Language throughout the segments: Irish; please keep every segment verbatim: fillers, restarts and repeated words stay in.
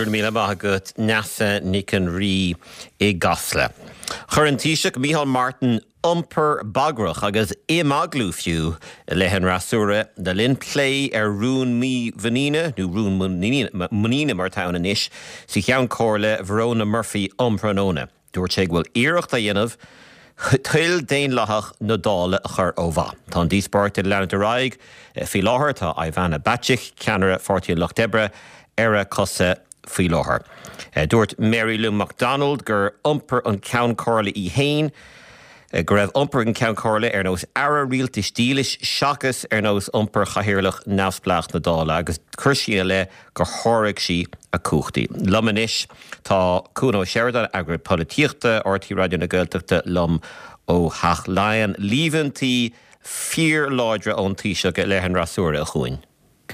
Go raibh míle maith agat Neasa Nic an Rí i gCasla. Chuir an Taoiseach Micheál Martin iompar bagrach agus imeaglú fiú i leith an fhreasúra le linn plé ar rún mímhuiníne nó rún muiníne mar atá ann anois sa Cheann Comhairle Verona Murphy um thráthnóna. Dúirt sé go bhfuil iarracht á dhéanamh toil daonlathach na Dála a chur ó mhaith. Tá an díospóireacht ag leanúint ar aghaidh faoi láthair tá Ivana Bacik ceannaire Pháirtí an Lucht Oibre ar a cosa faoi láthair. Dúirt Mary Lou McDonald gur iompar an Ceann Comhairle í féin, go raibh iompar an Cheann Comhairle ar nós aire rialtais dílis seachas ar nós iompar chathaoirleach neamhspleách na Dála agus chuir sí le gur sháraigh sí a cumhachtaí. Liom anois tá Cuan Ó Seireadáin eagarthóir polaitíochta R T Raidió na Gaeltachta liom ó Theach Laighean. Líomhaintí fíorláidre ón Taoiseach i leith an fhreasúra a Chuain.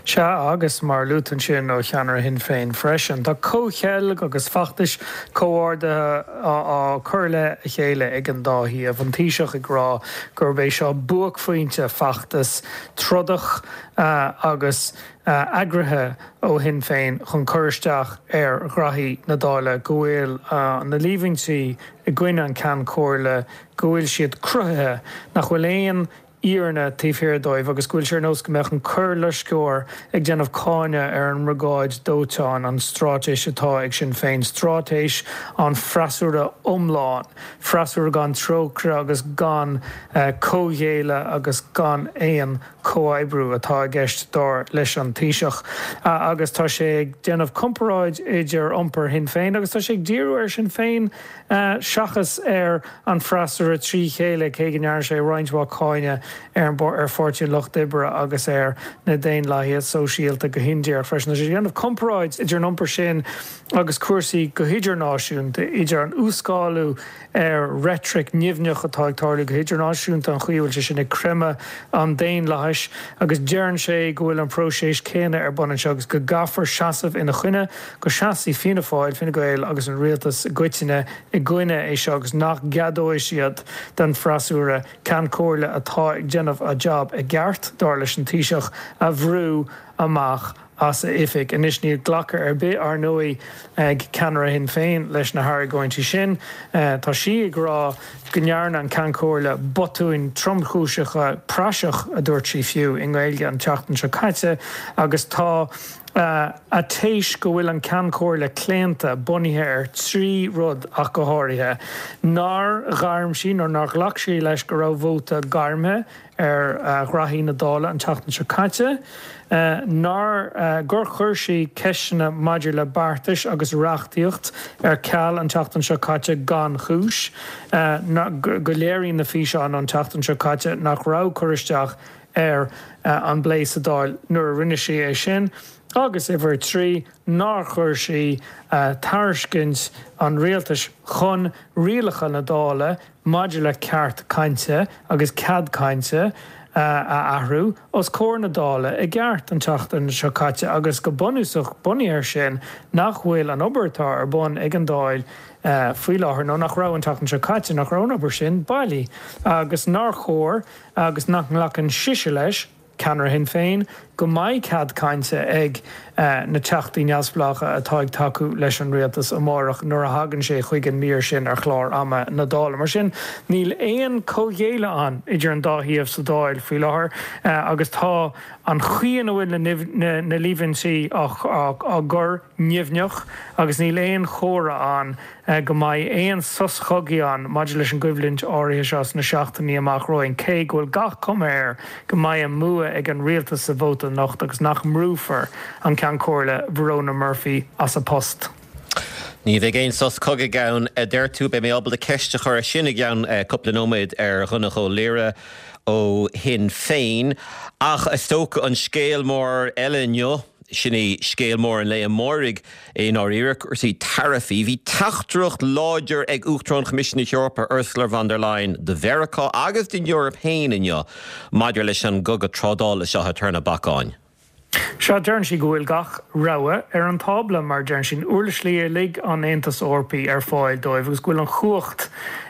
Sea agus mar a luaigh tú ansin ó cheannaire Shinn Féin freisin. Tá comhcheilg agus feachtais comhordaithe á cur le a chéile ag an dá thaobh. An Taoiseach ag rá gurb é seo buaicphointe feachtas trodach agus eagraithe ó Shinn Féin chun cur isteach ar ghraithí na Dála go bhfuil na líomhaintí i gcoinne an Cheann Comhairle go bhfuil siad cruthaithe nach bhfuil aon fhírinne taobh thiar dóibh agus go bhfuil sé ar nós go mbeadh an coirloisceoir ag déanamh cáineadh ar an mbriogáid dóiteáin an straitéis atá ag Sinn Féin, straitéis an freasúra iomlán, freasúra gan trócaire agus gan comhghéilleadh agus gan aon comhoibriú atá i gceist dar leis an Taoiseach. Agus tá sé ag déanamh comparáid idir iompar Shinn Féin agus tá sé ag díriú ar Sinn Féin seachas ar an freasúra trí chéile cé go ndearna sé roinnt mhaith cáineadh ar an ar Pháirtí an Lucht Oibre agus ar na Daonlathaithe Sóisialta go hindíreach freisin. Tá sé ag déanamh comparáid idir an iompar sin agus cúrsaí go hidirnáisiúnta idir an uas-scálú ar reitric nimhneach atá ag tarlú go hidirnáisiúnta an chaoi a bhfuil sé sin ag creimeadh an daonlathais agus deireann sé go bhfuil an próiseas céanna ar bun anseo agus go gcaithfear seasamh ina choinne go seasfaidh Fianna Fáil, Fine Gael agus an rialtas i gcoitinne i gcoinne é seo agus nach gceadóidh siad don freasúra Ceann Comhairle atá ag déanamh a job i gceart dar leis an Taoiseach a bhrú amach as a oifig. Anois níl glacadh ar bith ar ndóigh ag ceannaire Shinn Féin leis na hargóintí sin. Tá sí ag rá go ndearna an Ceann Comhairle botúin tromchúiseacha praiseach a dúirt sí fiú i nGaeilge an tseachtain seo caite agus tá a téis go bhfuil an Ceann Comhairle claonta bunaithe ar trí rud ach go háirithe. Nár ghairm sí nó nár ghlac sí leis go raibh vóta gairmthe ar ghraithí na Dála an tseachtain seo caite, nár gur chuir sí ceisteanna maidir le beartais agus reachtaíocht ar ceal an tseachtain seo caite gan chúis, go léiríonn na físeáin an tseachtain seo caite nach raibh cur isteach ar an bplé sa Dáil nuair a rinne sí é sin, agus uimhir trí nár chuir sí tairiscint an rialtais chun rialacha na Dála maidir le ceart cainte agus cead cainte a athrú os comhair na Dála i gceart an tseachtain seo caite agus go bunúsach bunaithe air sin nach bhfuil an obair atá ar bun ag an Dáil faoi láthair nó nach raibh an tseachtain seo caite nach raibh an obair sin bailí agus nár chóir agus nach nglacann sise leis ceannaire Shinn Féin go mbeidh cead cainte ag na teachtaí neamhspleácha atá ag tacú leis an rialtas amárach nuair a thagann sé chuig an mír sin ar chlár ama na Dála. Mar sin níl aon comhghéilleadh ann idir an dá thaobh sa Dáil faoi láthair agus tá an chaoi ina bhfuil na na líomhaintí á gcur nimhneach agus níl aon chomhartha ann go mbeidh aon sos cogaidh ann maidir leis an gcoimhlint áirithe seo sna seachtainí amach romhainn, cé go bhfuil gach cuma air go mbeidh an bua ag an rialtas sa vóta anocht agus nach mbrúfar an Ceann Comhairle Verona Murphy as a post. Ní bheidh aon sos cogaidh ann a deir tú beidh mé ábalta ceist a chur sin i gceann cúpla nóiméad ar Dhonncha Ó Laoghaire ó Shinn Féin ach is dócha an scéal mór eile inniu sin é scéal mór an lae amáirigh i ndáiríre cúrsaí taraifí. Bhí teachtaireacht láidir ag Uachtarán Choimisiún na hEorpa Ursula von der Leyen do Mheiriceá agus don Eoraip féin inniu maidir leis an gcogadh trádála seo atá ar na bacáin. Sea deireann sí go bhfuil gach rogha ar an tábla mar deireann sí uirlisí uilig an Aontais Eorpaigh ar fáil dóibh agus go bhfuil an chumhacht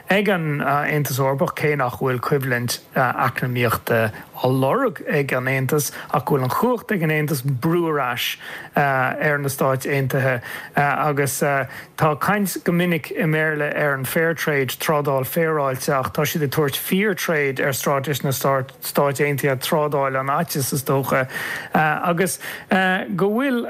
ag an Aontas Eorpach cé nach bhfuil coimhlint eacnamaíochta á lorg ag an Aontas ach go bhfuil an chumhacht ag an Aontas brú ar ais ar na Stáit Aontaithe agus tá caint go minic i mBéarla ar an fair trade trádáil féaráilte ach tá siad ag tabhairt fear trade ar straitéis na Stáit Aontaithe trádáil an fhaitíos is dócha agus go bhfuil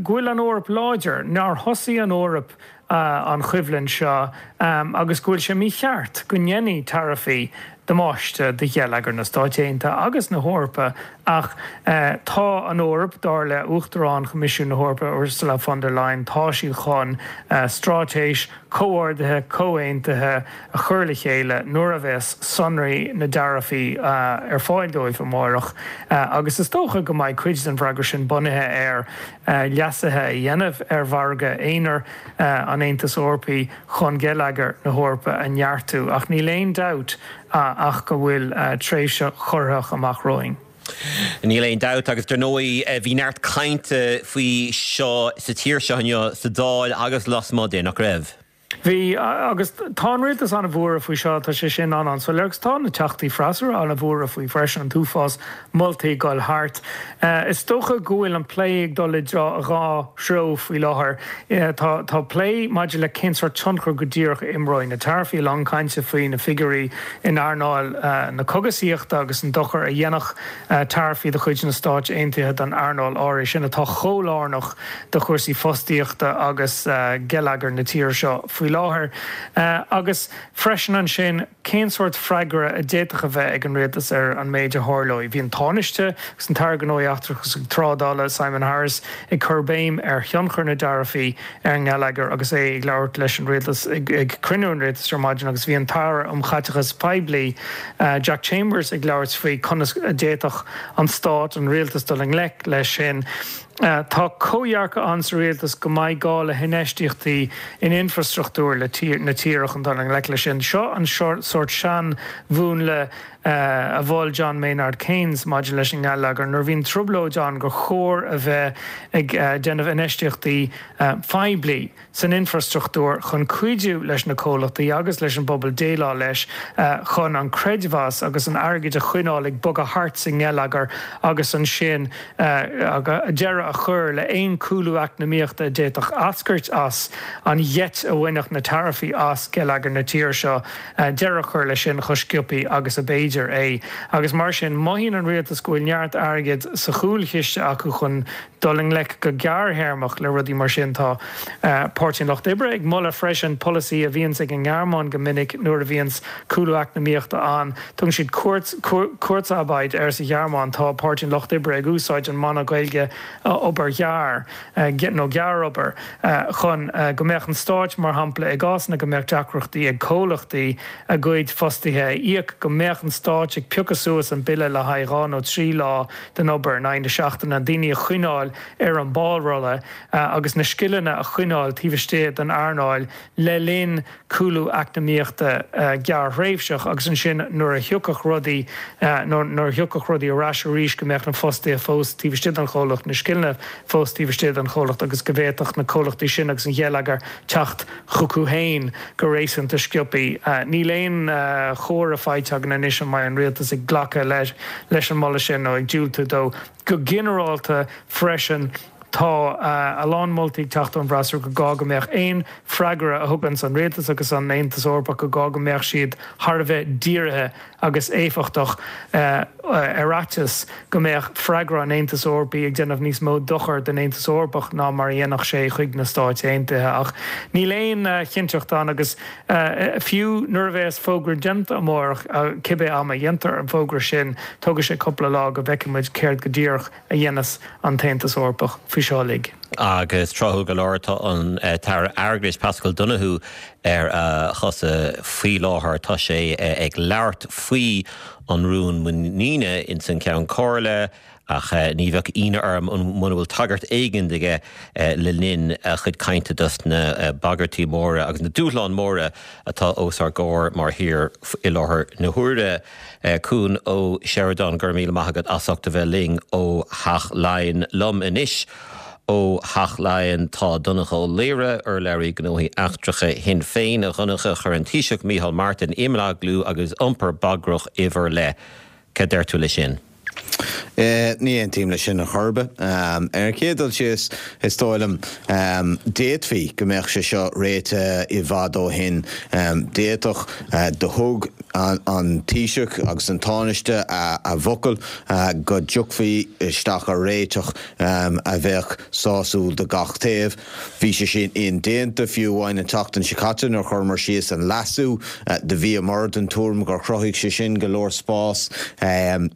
go bhfuil an Eoraip láidir nár thosaigh an Eoraip an choimhlint seo agus go bhfuil sé mícheart go ndéanfaidh taraifí damáiste do gheilleagar na Stáit Aontaithe agus na hEorpa ach tá an Eoraip dar le Uachtarán Choimisiún na hEorpa Ursula von der Leyen tá siad chun straitéis comhordaithe comhaontaithe a chur le chéile nuair a bheas sonraí na dtaraifí ar fáil dóibh amárach agus is dócha go mbeidh cuid den bhfreagra sin bunaithe ar leasuithe a dhéanamh ar mhargadh aonair an Aontais Eorpaigh chun geilleagar na hEorpa a neartú ach níl aon dabht ach go bhfuil tréimhse chorraitheach amach romhainn. Níl aon dabht agus dar ndóigh bhí neart cainte faoi seo sa tír seo inniu sa Dáil agus lasmuigh de nach raibh. Bhí agus tá an rialtas an-bhuartha faoi seo tá sé sin an an so agus tá na teachtaí freasúra an-bhuartha faoi freisin an t-uafás moltaí ag dul thart. Is dócha go bhfuil an plé ag dul i dhá threo faoi láthair. Tá tá plé maidir le cén sórt tionchar go díreach a imreoidh na taraifí lán cainte faoi na figiúirí in earnáil na cógaisíochta agus an dochar a dhéanfadh taraifí de chuid na Stáit Aontaithe don earnáil áirithe sin atá chomh lárnach do chúrsaí fostaíochta agus geilleagar na tíre seo faoi láthair. Agus freisin ansin cén sórt freagra a d'fhéadfadh a bheith ag an rialtas ar an méid a tharlóidh. Bhí an Tánaiste agus an tAire Gnóthaí Eachtracha agus Trádála Simon Harris ag cur béim ar thionchar na dtaraifí ar an ngeilleagar agus é ag labhairt leis an rialtas ag cruinniú an rialtais ar maidin agus bhí an tAire um Chaiteachas Poiblí Jack Chambers ag labhairt faoi conas a d'fhéadfadh an stát an rialtas dul i ngleic leis sin. Tá comhdhearcadh ann sa rialtas go mbeidh gá le hinfheistíochtaí in infrastruchtúr le na tíre chun dul i ngleic leis sin. Seo an sórt seanmhúnla a mhol John Maynard Keynes maidir leis an ngeilleagar nuair a bhíonn trioblóid ann gur chóir a bheith ag déanamh infheistíochtaí poiblí san infrastruchtúr chun cuidiú leis na comhlachtaí agus leis an bpobal déileáil leis chun an creidmheas agus an airgead a choinneáil ag bogadh thart sa ngeilleagar agus ansin deireadh a chur le haon chúlú eacnamaíochta a d'fhéadfadh eascairt as an gheit a bhainfeadh na taraifí as geilleagar na tíre seo deireadh a chur leis sin chomh sciobtha agus ab fhéidir é. Agus mar sin mothaíonn an rialtas go bhfuil neart airgid sa chúlchiste acu chun dul i ngleic go gearrthéarmach le rudaí mar sin tá Páirtí an Lucht Oibre ag moladh freisin polasaí a bhíonns ag an nGearmáin go minic nuair a bhíonns cúlú eacnamaíochta ann. Tugann siad Kurzarbeit air sa Ghearmáin tá Páirtí an Lucht Oibre ag úsáid an mana Gaeilge obair ghearr nó gearrobair chun go mbeadh an stát mar shampla i gcásanna go mbeadh deacrachtaí ag comhlachtaí a gcuid fostaithe a íoc go mbeadh an stát ag piocadh suas an bille le haghaidh dhá nó trí lá den obair in aghaidh na seachtaine, daoine a choinneáil ar an bpárolla agus na scileanna a choinneáil taobh istigh den earnáil le linn cúlú eacnamaíochta gearrthréimhseach agus ansin nuair a thiocfadh rudaí nuair a thiocfadh rudaí ar ais arís go mbeadh na fostaithe fós taobh istigh den chomhlacht, na scileanna fós taobh istigh den chomhlacht agus go bhféadfadh na comhlachtaí sin agus an geilleagar teacht chucu féin go réasúnta sciobtha. Níl aon chomhartha faighte againn anois an mbeidh an rialtas ag glacadh leis an moladh sin nó ag diúltú dó. Go ginearálta freisin tá a lán moltaí ag teacht ón bhfreasúra go gá go mbeadh aon freagra a thuganns an rialtas agus an Aontas Eorpach go gá go mbeadh siad thar a bheith dírithe agus éifeachtach ar fhaitíos go mbeadh freagra an Aontais Eorpaigh ag déanamh níos mó dochair don Aontas Eorpach ná mar a dhéanfadh sé chuig na Stáit Aontaithe. Ach níl aon chinnteacht ann agus fiú nuair a bheas fógra déanta amárach, cibé am a dhéantar an fógra sin, tógfaidh sé cúpla lá go bhfeicfidh muid céard go díreach a dhéanfas an tAontas Eorpach faoi seo uilig. Agus tráthúil go leor tá an tAire Airgeadais Paschal Donohoe ar a chosa faoi láthair. Tá sé ag labhairt faoi an rún muiníne ins an Ceann Comhairle ach ní bheadh ionadh orm muna bhfuil tagairt éigin aige le linn a chuid cainte dos na bagairtí móra agus na dúshláin móra atá os ár gcomhair mar thír i láthair na huaire. Cuan Ó Seireadáin, go raibh míle maith agat as ucht a bheith linn ó Theach Laighean liom anois. Ó Theach Laighean tá Donncha Ó Laoghaire, urlabhraí gnóthaí eachtracha Shinn Féin. A Dhonncha, chuir an Taoiseach Micheál Martin imeaglú agus iompar bagrach i bhur leith. Cad deir tú le sin? Ní aontaím leis sin ar chor ar bith. Ar an chéad dul síos, is dóigh liom, d'fhéadfaí go mbeadh sé seo réitithe i bhfad ó shin. D'fhéadfadh, do thug an Taoiseach agus an Tánaiste a bhfocal go dtiocfaí isteach ar réiteach a bheadh sásúil do gach taobh. Bhí sé sin indéanta fiú amháin an tseachtain seo caite nuair a chuireamar síos an leasú. Do bhíomar den tuairim gur chruthaigh sé sin go leor spás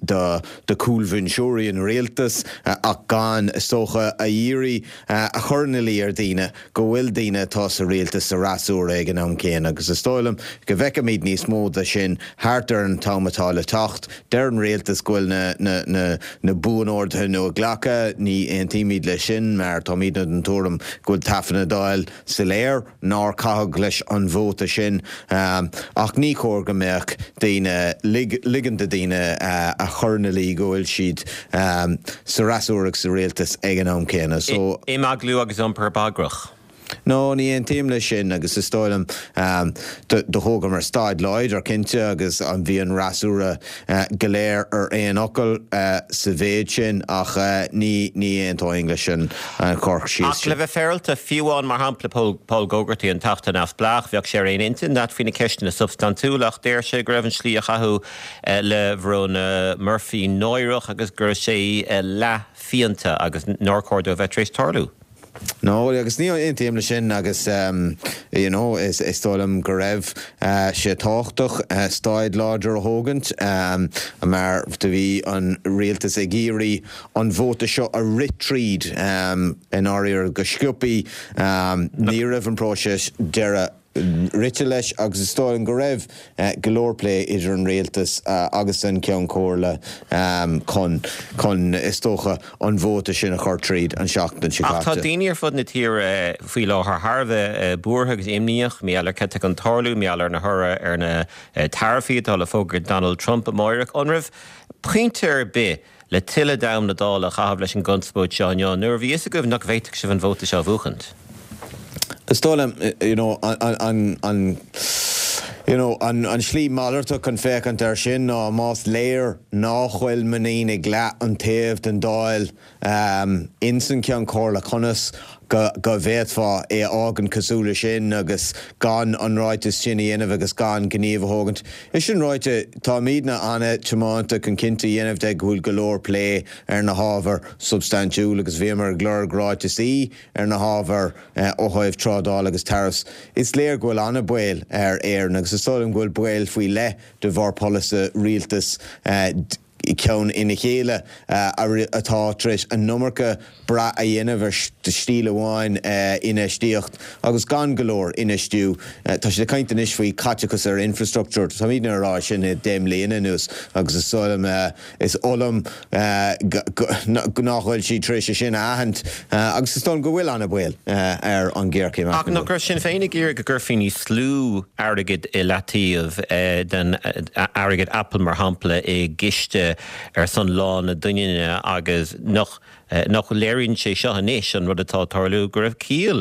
do do chúlbhinseoirí an rialtais ach gan, is dócha, a iarraidh a chur ina luí ar dhaoine go bhfuil daoine atá sa rialtas sa fhreasúra ag an am céanna agus is dóigh liom go bhfeicfimid níos mó de sin thart ar an t-am atá le teacht. Deir an rialtas go bhfuil na na na na buanorduithe nua glactha. Ní aontaímid leis sin mar táimidne den tuairim go bhfuil taifead na Dála soiléir nár caitheadh leis an vóta sin ach ní chóir go mbeadh daoine ligean do daoine a chur ina luí go bhfuil siad sa fhreasúra agus sa rialtas ag an am céanna. So. Imeaglú agus iompar bagrach. No, ní aontaím leis sin agus is dóigh liom do thógamar staid láidir cinnte agus an bhí an fhreasúra go léir ar aon fhocal sa mhéid sin ach ní ní aontóinn leis an chur síos Ach le sin. bheith féaráilte, fiú amháin mar shampla Paul Paul Gogarty, an Teachta Neamhspleách, bheadh sé ar aon intinn leat faoi na ceisteanna substaintiúla ach deir sé go raibh an slí a chaitheadh le Verona Murphy náireach agus go raibh sé leathfhiánta agus nár chóir dó a bheith tar éis tarlú. No, agus ní aontaím leis sin agus you know, is is dóigh liom go raibh sé tábhachtach staid láidir a thógaint mar do bhí an rialtas ag iarraidh an vóta seo a rith tríd i ndáiríre go sciobtha. Ní raibh an próiseas deireadh rite leis agus is dóigh liom go raibh go leor plé idir an rialtas agus an Ceann Comhairle chun, chun, is dócha, an vóta sin a chur tríd an seachtain seo Ach tá caite. daoine ar fud na tíre faoi láthair thar a bheith buartha agus imníoch, mar gheall ar cad tá chun tarlú, mar gheall ar na thoradh ar na taraifí atá le fógairt Donald Trump amáireach. An raibh pointe ar bith le tuilleadh d'am na Dála a chaitheamh leis an gconspóid seo inniu nuair a bhí fhios agaibh nach bhféadfadh sibh an vóta seo a bhuachaint? Is dóigh liom, you know, an, an, an, you know, an, an slí malartach chun féachaint air sin ná más léir nach bhfuil muinín ag leath an taobh den Dáil um, ins an Ceann Comhairle conas go, go bhféadfá é a fhágaint cosúil leis sin agus gan an ráiteas sin a dhéanamh agus gan gníomh a thógaint. É sin ráite, táimidne an-tiomanta chun cinnte a dhéanamh de go bhfuil go leor plé ar na hábhair substaintiúil agus bhíomar ag lorg ráiteasaí ar na hábhair ó thaobh trádáil agus tariffs. Is léir go bhfuil an-bhaol ar Éirinn agus is dóigh liom go bhfuil baol faoi leith de bharr polasaithe rialtas ceann ina chéile atá tar éis an iomarca brath a dhéanamh ar stíl amháin infheistíocht agus gan go leor infheistiú. Tá siad ag caint anois faoi caiteachas ar infrastructure. Táimidne ag rá sin le deich mbliana anuas agus is dóigh liom is oth liom nach bhfuil siad tar éis é sin a aithint agus is dóigh liom go bhfuil an-bhaol ar an ghéarchéim Ach nach raibh Sinn Féin ag iarraidh go gcuirfí níos lú airgid i leataobh den airgead Apple mar shampla i gciste ar son Lá na Doininne agus nach nach léiríonn sé seo anois an rud atá ag tarlú go raibh ciall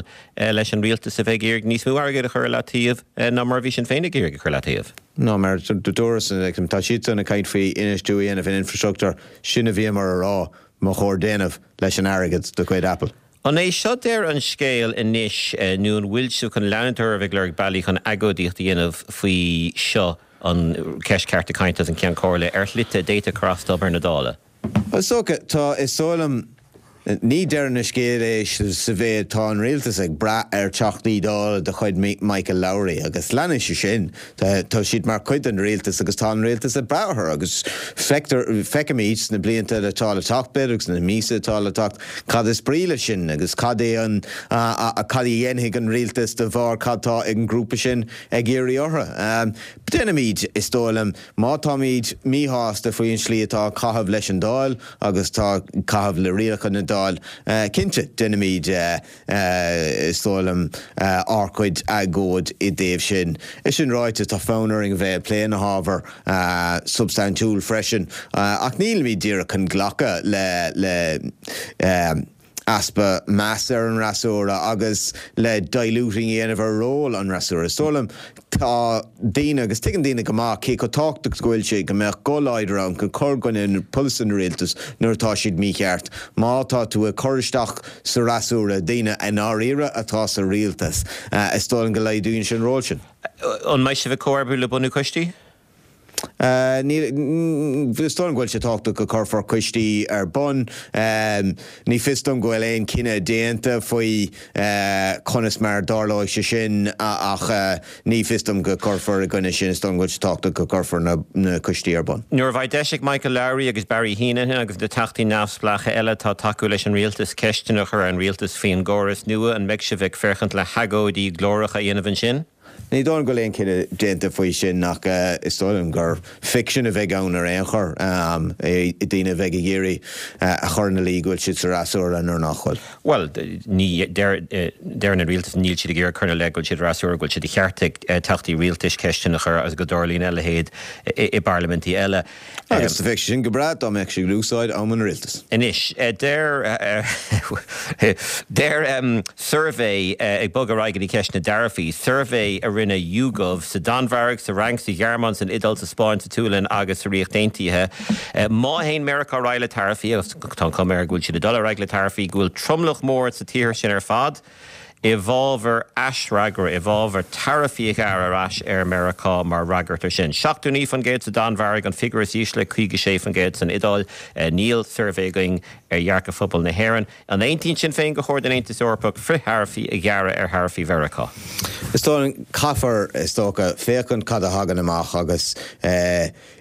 leis an rialtas a bheith ag iarraidh níos mó airgid a chur i leataobh ná mar a bhí Sinn Féin ag iarraidh a chur i leataobh. No mar dúras tá siadsan ag caint faoi infheistiú a dhéanamh in infrastructure sin a bhíomar a rá ba chóir déanamh leis an airgead de chuid Apple. An é seo deireadh an scéil anois nó an bhfuil sibh chun leanúint oraibh ag lorg bealaí chun agóidíocht a dhéanamh faoi seo an cheist cearta cainte agus an Ceann Comhairle ar shlite a d'fhéadfadh cur as d'obair na Dála? Is dócha, tá, is dóigh liom, ní deireadh na scéal é sa mhéid tá an rialtas ag brath ar Theachtaí Dála de chuid Michael Lowry agus leanfaidh sé sin. Tá siad mar chuid den rialtas agus tá an rialtas ag brath orthu agus feictear, feicfimid sna blianta atá le teacht b'fhéidir agus sna míosa atá le teacht cad is brí leis sin agus cad é an, cad a dhéanfaidh an rialtas de bharr cad tá ag an ngrúpa sin ag iarraidh orthu. Déanfaimid, is dóigh liom, má táimid míshásta faoin slí atá ag caitheamh leis an Dáil agus tá ag caitheamh le rialacha na Dáil, cinnte, déanfaimid, is dóigh liom, ár gcuid agóid i dtaobh sin. É sin ráite, tá fonn orainn a bheith ag plé na hábhar substaintiúil freisin, ach nílimid díreach chun glacadh le, le, easpa meas ar an fhreasúra agus le diluting a dhéanamh ar ról an fhreasúra. Is dóigh liom tá daoine agus tuigeann daoine go maith cé chomh tábhachtach go bhfuil sé go mbeadh guth láidir ann chun cur i gcoinne polasaithe an rialtais nuair atá siad mícheart. Má tá tú ag cur isteach sa fhreasúra daoine i ndáiríre atá sa rialtas, is dóigh liom go laghdaíonn sé an ról sin. An mbeidh sibh ag comhoibriú le bunú coistí? Is dóigh liom go bhfuil sé tábhachtach go cuirfear coistí ar bun. Ní fios dom go bhfuil aon cinneadh déanta faoi conas mar a dtarlóidh sé sin ach ní fios dom go cuirfear i gcoinne sin. Is dóigh liom go bhfuil sé tábhachtach go cuirfear na coistí ar bun. Nuair a bheidh deis ag Michael Lowry agus Barry Heneghan agus na teachtaí neamhspleácha eile atá ag tacú leis an rialtas ceisteanna a chur ar an rialtas faoin gcóras nua, an mbeidh sibh ag féachaint le hagóidí glóracha a dhéanamh ansin? Ní dóigh liom go bhfuil aon cinneadh déanta faoi sin ach is dóigh liom gur ficsean a bheidh ann ar aon chor, daoine a bheidh ag iarraidh a chur ina luí go bhfuil siad sa fhreasúra nuair nach bhfuil. Bhuel, ní, deireann an rialtas níl siad ag iarraidh cur ina leith go bhfuil siad fhreasúra, go bhfuil sé de cheart ag teachtaí rialtais ceisteanna a chur agus go dtarlaíonn a leithéid i bparlaimintí eile. Agus bheadh sé sin go breá dá mbeadh sé ag úsáid am an rialtais. Anois, deir deir suirbhé ag bogadh ar aghaidh go dtí ceist na dtaraifí, suirbhé a rinne YouGov sa Danmhairg, sa Fhrainc, sa Ghearmáin, san Iodáil, sa Spáinn, sa tSualainn agus sa Ríocht Aontaithe. Má théann Meiriceá ar aghaidh le taraifí, agus tá an chuma air go bhfuil siad ag dul ar aghaidh le taraifí, go bhfuil tromlach mór sa tír sin ar fad i bhfabhar aisfhreagra, i bhfabhar taraifí a ghearradh ar ais ar Meiriceá mar fhreagairt ar sin. seachtó naoi faoin gcéad sa Danmhairg, an figiúr is ísle, caoga sé faoin gcéad san Iodáil. Níl suirbhé againn ar dhearcadh phobal na hÉireann. An aontaíonn Sinn Féin gur chóir don Aontas Eorpach frithtaraifí a ghearradh ar tharaifí Mheiriceá? Is dóigh caithfear is dócha féachaint cad a thagann amach agus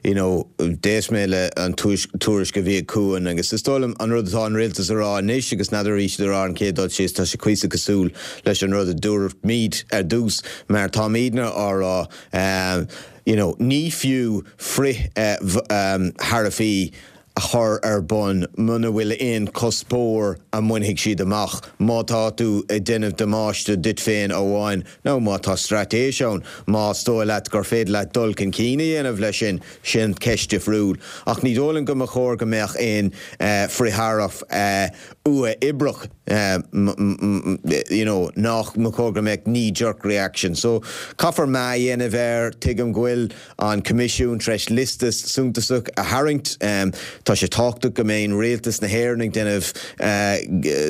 you know d'éist mé le an tuairisc a bhí ag Cuan agus is dóigh liom an rud atá an rialtas a rá anois agus n'fheadar an raibh siad a rá an chéad dul síos tá sé cuíosach cosúil leis an rud a dúirt ar dtús mar táimidne á rá you know ní fiú frith taraifí a chur ar bun muna bhfuil aon cuspóir a mbainfidh siad amach. Má tá tú ag déanamh damáiste duit féin amháin nó má tá straitéis ann, más dóigh leat gur féidir leat dul chun cinn a dhéanamh leis sin, sin ceist difriúil. Ach ní dóigh liom go mba chóir go mbeadh aon frithtaraif uathoibríoch you know nach mba chóir go mbeadh knee jerk reaction. So caithfear meá a dhéanamh air, tuigim go bhfuil an Coimisiún tar éis liosta suntasach a tharraingt. Tá sé tábhachtach go mbeidh rialtas na hÉireann ag déanamh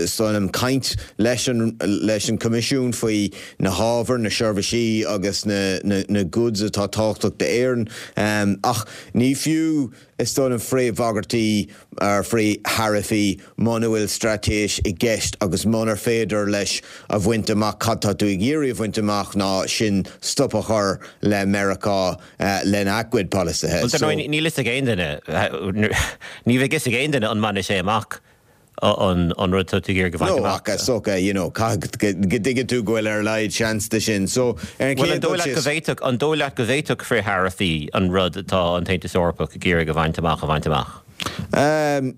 son caint leis an leis an Coimisiún faoi na hábhair, na seirbhísí agus na, na, na goods atá tábhachtach d'Éirinn. Um, ach ní fiú is dóigh liom frithbhagairtí ar frithtaraifí muna bhfuil straitéis i gceist agus munar féidir leis a bhaint amach cad tá tú ag iarraidh a bhaint amach ná sin stop a chur le Meiriceá uh, lena gcuid polasaithe. So, níl a fhios ag aon duine ní bheidh a fhios ag aon duine an mbainfidh sé amach an an rud tú ag bhaint amach. No, so you know go dtuigeann tú go bhfuil ar a laghad seans de sin. So ar an Well, an dóigh leat go bhféadfadh an dóigh leat go bhféadfadh frithtaraifí an rud atá an tAontas Eorpach ag iarraidh a bhaint amach a bhaint amach. Um,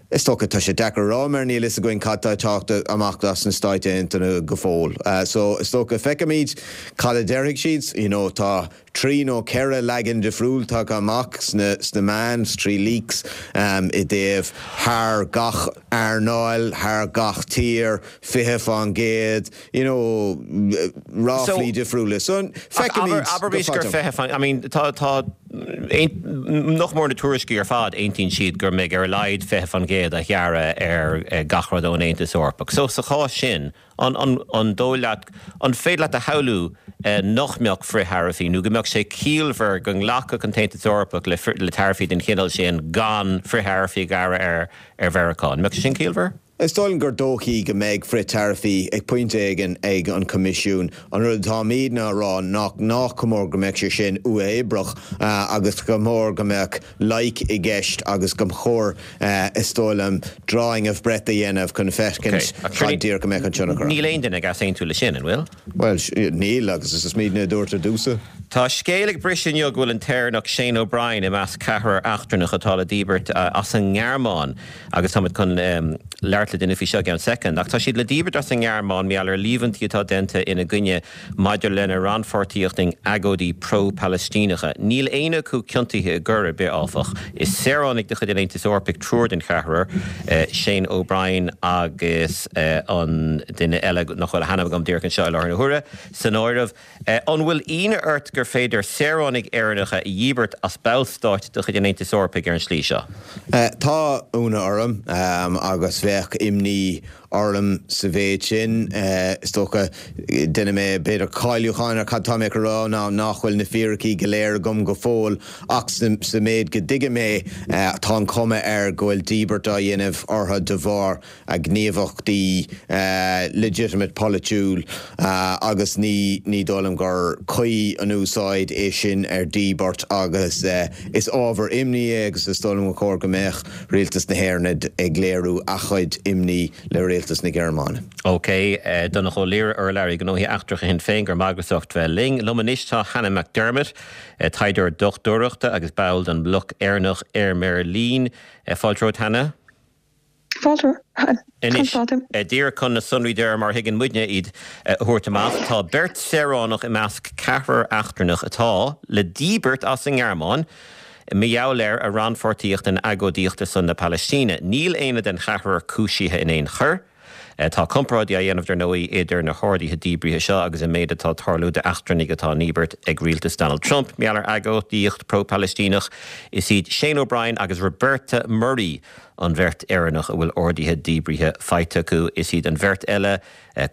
Is dócha tá sé deacair a rá mar níl a fhios againn cad tá ag teacht amach as na Stáit Aontaithe go fóill. Uh, so is dócha feicfimid cad a déarfaidh siad, you know, tá trí nó ceithre leagan difriúil tagtha amach sna, sna meáin, trí leaks um, i dtaobh thar gach earnáil, thar gach tír, fiche faoin gcéad, you know, ráflaí difriúla. So feicfimid Abraimis gur fiche faoin, I mean, tá tá nach mór na tuairiscí ar fad aontaíonn siad gur mbeidh ar a laghad fiche faoin gcéad a ghearradh ar gach rud ón Aontas Eorpach. So sa chás sin an, an, an dóigh leat an féidir leat a shamhlú nach mbeadh frithtaraifí nó go mbeadh sé ciallmhar go nglacfadh an tAontas Eorpach le, le taraifí den chineál sin gan frithtaraifí a ghearradh ar ar Mheiriceá. An mbeadh sé sin ciallmhar? Is dóigh liom gur dóichí go mbeidh frithtaraifí ag pointe éigin ag an Coimisiún. An rud atáimidne a rá nach nach cóir go mbeadh sé sin uathoibríoch agus go mór go mbeadh loighic i gceist agus go chóir is dóigh liom drawing of breath a dhéanamh chun feiscint cad díreach go mbeadh an tionchar. Níl aon duine ag easaontú le sin, an bhfuil? Well, níl agus is muidne a dúirt ar dtús. Tá scéal ag briseadh inniu go bhfuil an tÉireannach Shane O'Brien i measc ceathrar eachtrannach atá le díbirt as an nGearmáin agus táimid chun labhairt labhairt le duine faoi seo i gceann soicind, ach tá siad le díbirt as an nGearmáin mar gheall ar líomhaintí atá déanta ina gcoinne maidir lena rannpháirtíocht in agóidí pro-Palaistíneacha. Níl éinne acu ciontaithe i gcoir ar bith, áfach. Is saoránaigh de chuid an Aontais Eorpaigh triúr den cheathrar, Shane O'Brien agus an duine eile nach bhfuil a hainm agam díreach anseo i láthair na huaire, san áireamh. An bhfuil ionadh ort gur féidir saoránaigh Éireannacha a dhíbirt as ballstát de chuid an Aontais Eorpaigh ar an slí seo? Tá ionadh orm agus bheadh imní orm sa mhéid sin. Is dócha, déanfaidh mé b'fhéidir cáiliúchán ar cad tá mé ag rá ná nach bhfuil na fíricí go léir agam go fóill ach sa méid go dtuigim é tá an chuma air go bhfuil díbirt á dhéanamh orthu de bharr a ngníomhaíochtaí legitimate polaitiúil agus ní ní dóigh liom gur cuí an úsáid é sin ar dhíbirt agus is ábhar imní é agus is dóigh liom gur chóir go mbeadh Rialtas na hÉireann ag léiriú a chuid imní le Rialtas na Gearmáine. OK, Donnchadh Ó Laoghaire, urlabhraí gnóthaí eachtracha Shinn Féin, go raibh maith agat as ucht bheith linn. Liom anois tá Hannah McDermott, taighdeoir dochtúireachta agus ball den Bhloc Éireannach i mBeirlín. Fáilte romhat, Hannah. Fáilte. Anois, díreach chun na sonraí deiridh mar a thuigeann muidne iad a thabhairt amach, tá beirt saoránach i measc ceathrar eachtrannach atá le díbirt as an nGearmáin mar gheall ar a rannpháirtíocht in agóidíocht ar son na Palaistíne. Níl éinne den cheathrar cúisithe in aon choir. Tá comparáidí á dhéanamh, dar ndóigh, idir na horduithe díbrithe seo agus an méid atá ag tarlú d'eachtrannaigh atá á ndíbirt ag rialtas Donald Trump mar gheall ar agóidíocht pro-Palaistíneach. Is iad Shane O'Brien agus Roberta Murray an bheirt Éireannach a bhfuil orduithe díbrithe faighte acu. Is iad an bheirt eile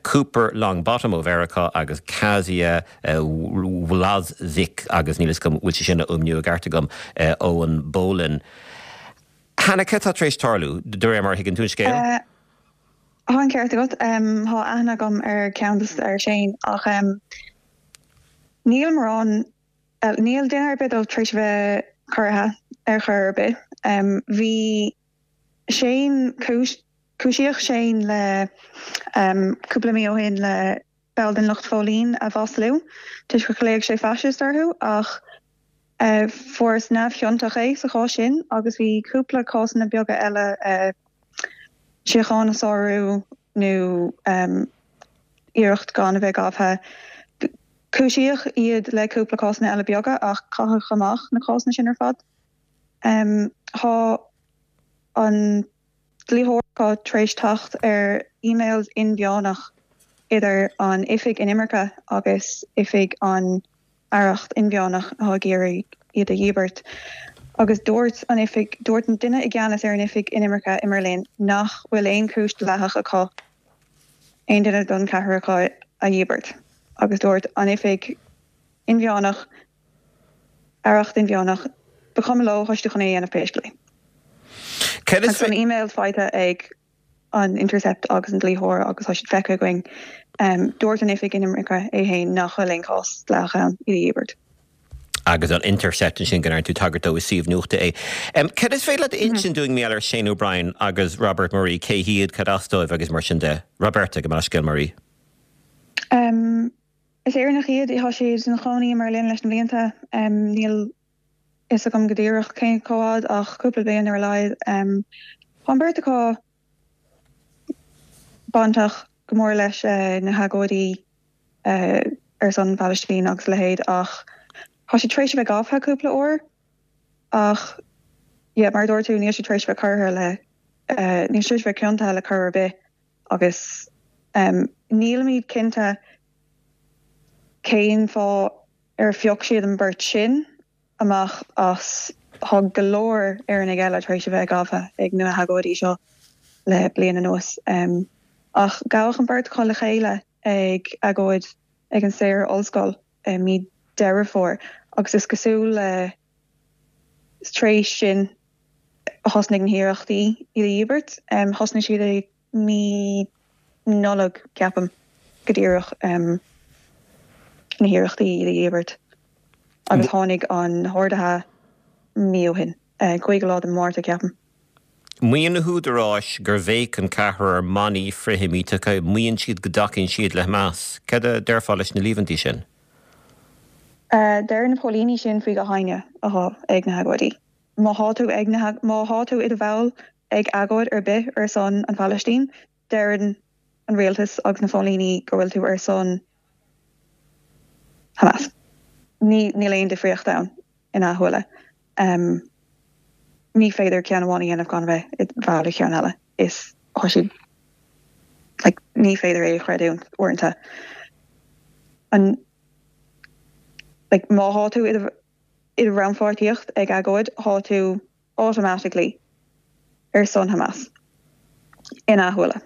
Cooper Longbottom ó Mheiriceá agus Kasia Wlazczyk, agus níl a fhios agam bhfuil sé sin á fhuaimniú i gceart agam, ó an bPolainn. Hannah, cad atá tar éis tarlú, de réir mar a thuigeann tú an scéal? Tá an ceart agat. Tá aithne agam ar ceann de, ar Shane, ach níl mórán, níl duine ar bith dóibh tar éis a bheith corraithe ar chor ar bith. Bhí Shane, cúisíodh Shane le cúpla mí ó shin le ball den lucht phóilín a mhaslú toisc gur ghlaoigh sé fascist orthu ach fuarthas neamhchiontach é sa chás sin agus bhí cúpla cásanna beaga eile síocháin a sárú nó iarracht gan a bheith gafa. Cúisíodh iad le cúpla cásanna eile beaga ach caitheadh amach na cásanna sin ar fad. Tá an dlítheoir acu tar éis teacht ar emails inmheánach idir an Oifig Inimirce agus Oifig an Aireacht Inmheánach atá ag iarraidh iad a dhíbirt. Agus dúirt an oifig, dúirt an duine i gceannas ar an Oifig Inimirce i mBerlin nach bhfuil aon chúis dleathach acu aon duine den cheathrar acu a dhíbirt. Agus dúirt an Oifig Inmheánach, Aireacht Inmheánach, ba chuma leo, tá siad chun é a dhéanamh pé scéal é. Agus tá na emails faighte ag an Intercept agus an dlítheoir agus tá siad feicthe againn. Dúirt an Oifig Inimirce é féin nach bhfuil aon chás dleathach ann iad a dhíbirt. Agus an Intercept ansin go ndearna tú tagairt dó, is suíomh nuachta é. Cad is féidir leat a insint dúinn mar gheall ar Shane O'Brien agus Robert Murray, cé hiad, cad as dóibh agus mar sin de? Roberta, gabh mo leithscéal, Murray. Is Éireannach iad, tá siad ina chónaí i mBerlin leis na blianta. Níl fhios agam go díreach cén chomh fhad ach cúpla bliain ar a laghad. Tá an bheirt acu bainteach go mór leis na hagóidí ar son Phalaistín agus a leithéid ach tá siad tar éis a bheith gafa cúpla uair ach yeah mar a dúirt tú níl siad tar éis a bheith curtha le níl siad tar éis a bheith ciontaithe le coir ar bith agus nílimid cinnte cén fáth ar phioc siad an bheirt sin amach as tá go leor Éireannaigh eile tar éis a bheith gafa ag na hagóidí seo le bliain anuas. Ach gabhadh an bheirt acu le chéile ag agóid ag an Saor-Ollscoil i mí Deireadh Fómhair agus is cosúil le tar éis sin a thosnaigh na hiarrachtaí iad a dhíbirt. Thosnaigh siad i mí Nollag, ceapaim, go díreach, na hiarrachtaí iad a dhíbirt agus tháinig an horduithe mí ó shin, cúigiú lá de Mhárta, ceapaim. Maíonn na húdaráis gur bhéic an ceathrar manaí frithsheimíteacha, maíonn siad go dtacaíonn siad le Hamas. Cad a déarfá leis na líomhaintí sin? Deir na póilíní sin faoi gach éinne atá ag na hagóidí. Má thá tú ag na, má thá tú i do bhall ag agóid ar bith ar son an Phalaistín, deireann an rialtas agus na póilíní go bhfuil tú ar son Hamas. Ní níl aon difríocht ann ina shúile. Um, ní féidir ceann amháin a dhéanamh gan bheith i bhfách le ceann eile. Is tá siad like, ní féidir é a chreidiúint uaireanta. An like, má thá tú i i rannpháirtíocht ag agóid thá tú automatically ar son Hamas ina shúile.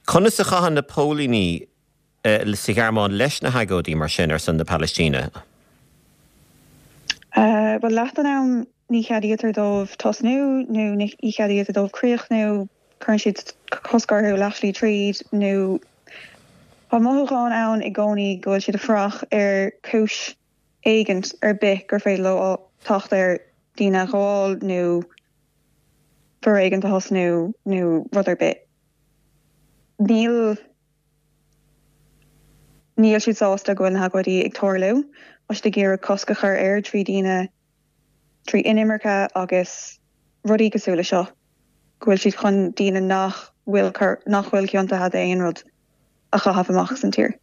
Conas a chaitheann na póilíní uh, sa Ghearmáin leis na hagóidí mar sin ar son na Palaistíne? Uh, well leath an am ní cheadaítear dóibh tosnú nó ní cheadaítear dóibh críochnú cuireann siad cosc orthu leathshlí tríd nó Tá mothúchán ann i gcónaí go bhfuil siad ag fuireach ar chúis éigint ar bith gur féidir leo teacht ar daoine a ghabháil nó foréigean a thosnú nó rud ar bith. Níl níl siad sásta go bhfuil na hagóidí ag tarlú, tá siad ag iarraidh cosc a chur air trí daoine trí inimirce agus rudaí cosúil le seo, go bhfuil siad chun daoine nach bhfuil nach bhfuil ciontaithe d'aon rud a chaitheamh amach san tír.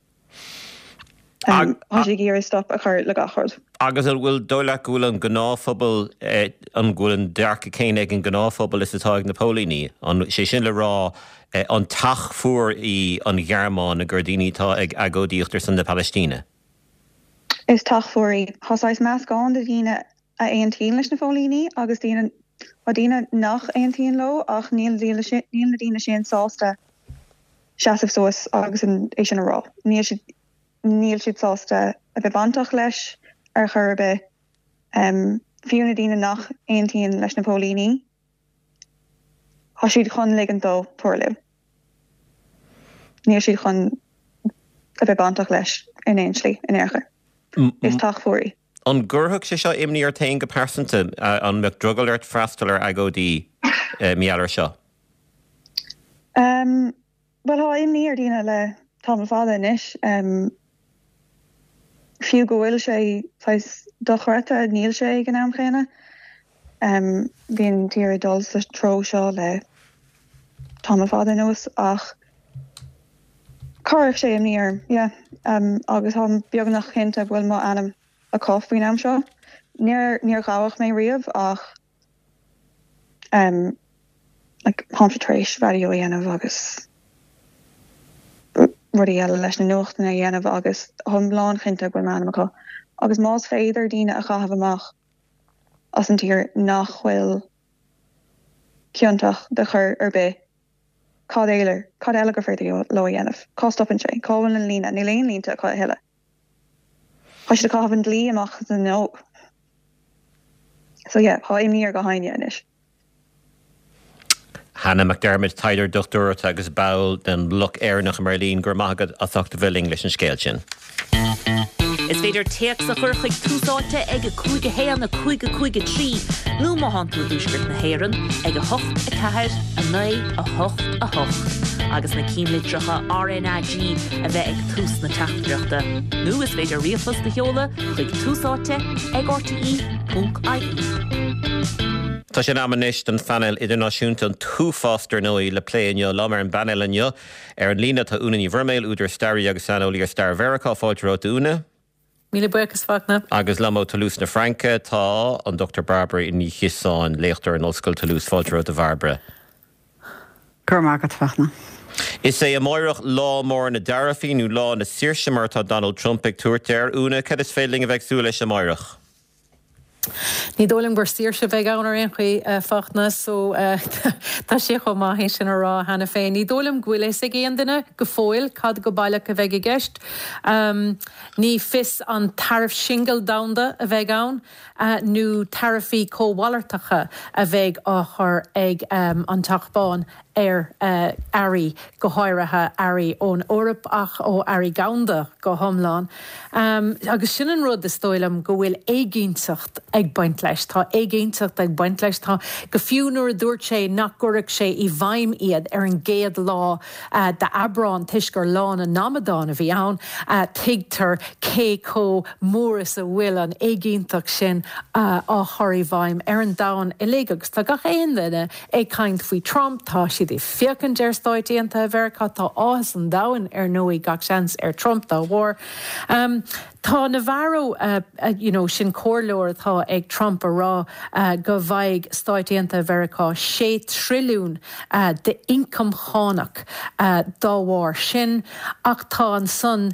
Um, tá siad ag iarraidh stop a chur le gach rud. Agus an bhfuil dóigh leat go bhfuil an gnáthphobal eh, an bhfuil an dearcadh céanna ag an gnáthphobal is atá ag na póilíní an sé sin le rá eh, an teach fuar í an Ghearmáin gur daoine atá ag agóidíocht ar son na Palaistíne. Is teach fuar í Tá saghas meascán de dhaoine a aontaíonn leis na póilíní agus daoine tá daoine nach aontaíonn leo ach níl níl na daoine sin sásta seasamh suas agus an é sin a rá. Níl siad níl siad sásta a bheith bainteach leis ar chor ar bith. Um, fiú na daoine nach aontaíonn leis na póilíní. Tá siad chun ligean dó tarlú. Níl siad chun a bheith bainteach leis in aon slí in aon chor. Is teach fuar í. An gcuirfeadh sé seo imní ort féin go pearsanta an mbeadh drogall ort freastal ar agóidí mar gheall air seo? Um, well tá imní ar daoine le tamall fada anois. Um, fiú go bhfuil sé dochreidte níl sé ag an am chéanna. Um, bhíonn tír dul sa treo seo le tamall fada anuas ach chuirfeadh sé imní orm yeah. um, agus tá beagnach cinnte bhfuil mo ainm acu faoin am seo. Níor níor gabhadh mé riamh ach um, like, táimse tar éis raidió a dhéanamh agus rudaí eile leis na nuachtanna a dhéanamh agus táim lánchinnte go bhfuil m'ainm acu. Agus más féidir daoine a chaitheamh amach as an tír nach bhfuil ciontach de chor ar bith. Cad eile cad eile gur féidir leo a dhéanamh. Cá stopann sé, cá bhfuil an líne, níl aon línte acu a thuilleadh. Tá siad ag caitheamh an dlí amach as an nó. So yeah, tá imní ar gach éinne anois. Hannah McDermott taighdeoir dochtúireachta agus ball den Bhloc Éireannach i mBeirlín gur maigad as ucht a bheith linn leis an scéal sin. Is féidir téacs a chur chuig Tús Áite ag a cúig a haon a cúig a cúig a trí nó má thánn tú i dtuaisceart na hÉireann ag a hocht a ceathair a naoi a hocht a hocht. agus na ceannlitreacha RNAG a bheith ag tús na teachtaireachta. Nó is féidir ríomhphost a sheoladh chuig Tús Áite ag RTE.ie. Tá sé in am anois don phainéal idirnáisiúnta an t-uafás dar ndóigh le plé inniu liom ar an bpainéal inniu ar an líne tá Úna Ní Bhroiméil údar staraí agus saineolaí ar stair Mheiriceá fáilte romhat Úna. Míle buíochas Fachtna. Agus liom ó Toulouse na Fraince tá an Dr Barbara Ní Chiosáin léachtóir in Ollscoil Toulouse fáilte romhat a Bharbara. Gur mágad fachna. Is é amárach lá mór na dtaraifí nó lá na saoirse mar atá Donald Trump ag tabhairt air Úna cad is féidir linn a bheith ag súil leis amárach. Ní dóigh liom gur saoirse a bheidh ann ar aon chaoi uh, Fachtna so uh, tá sé chomh maith sin a rá cheana féin. Ní dóigh liom go bhfuil a fhios ag aon duine go fóill cad go baileach a bheidh i gceist. Um, ní fios an taraif singil domhanda a bheidh ann uh, nó taraifí cómhalartacha a bheidh á chur ag um, an Teach Bán ar uh, earraí go háirithe earraí ón Eoraip ach ó earraí domhanda go hiomlán. Um, agus sin an rud is dóigh liom go bhfuil éiginnteacht ag ag baint leis, tá éiginnteacht ag baint leis, tá go fiú nuair a dúirt sé nach gcuirfeadh sé i bhfeidhm iad ar an gcéad lá d'Aibreán toisc gur lá na n-amadán a bhí ann, tuigtear cé chomh mór is a bhfuil an éiginnteacht sin á chur i bhfeidhm ar an domhan uilig. Agus tá gach aon duine ag caint faoi Trump, tá siad ag féachaint ar Stáit Aontaithe Mheiriceá, tá áthas an domhain ar ndóigh gach seans ar Trump dá bharr. Tá Navarro, you know, sin comhairleoir atá ag Trump a rá go bhfaighidh Stáit Aontaithe Mheiriceá sé trilliún d'ioncam cánach dá bharr sin ach tá ansan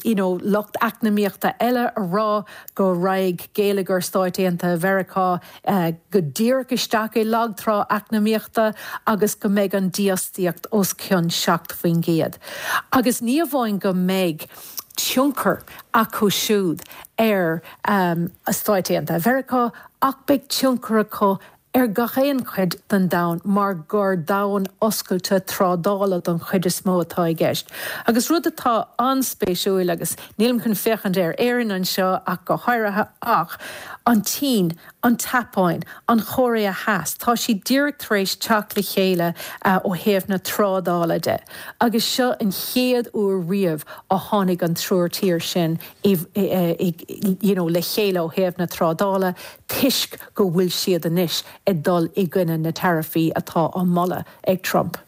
you know, lucht eacnamaíochta eile a rá go raghaidh geilleagar Stáit Aontaithe Mheiriceá go díreach isteach i lagtrá eacnamaíochta agus go mbeidh an dífhostaíocht os cionn seacht faoin gcéad. Agus ní amháin go mbeidh tionchar acu siúd ar Stáit Aontaithe Mheiriceá ach beidh tionchar acu ar gach aon chuid den domhan mar gur domhan oscailte trádála don chuid is mó atá i gceist. Agus rud atá an-spéisiúil agus nílim chun féachaint ar Éirinn anseo ach go háirithe ach an tSín, an tSeapáin, an Chóiré Theas, tá siad díreach tar éis teacht le chéile ó thaobh na trádála de. Agus seo an chéad uair riamh a tháinig an triúr tír sin you know, le chéile ó thaobh na trádála toisc go bhfuil siad anois ag dul i gcoinne na taraifí atá á moladh ag Trump.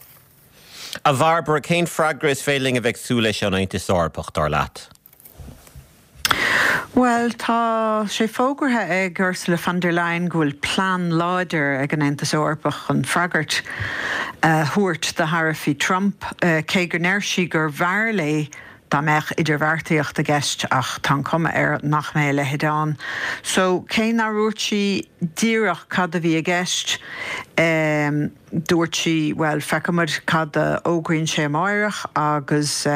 A Bhairbre, cén freagra is féidir linn a bheith ag súil leis ón Aontas Eorpach, dar leat? Bhuel, tá sé fógartha ag Ursula von der Leyen go bhfuil plean láidir ag an Aontas Eorpach chun freagairt a thabhairt do tharaifí Trump, cé go ndeir sí gur bhfearr léi dá mbeadh idirbheartaíocht i gceist ach tá an cuma air nach mbeidh a leithéid ann. So cé nár dhúirt sí díreach cad a bhí i gceist, dúirt sí, bhuel, feicfimid cad a fhógraíonn sé amáireach agus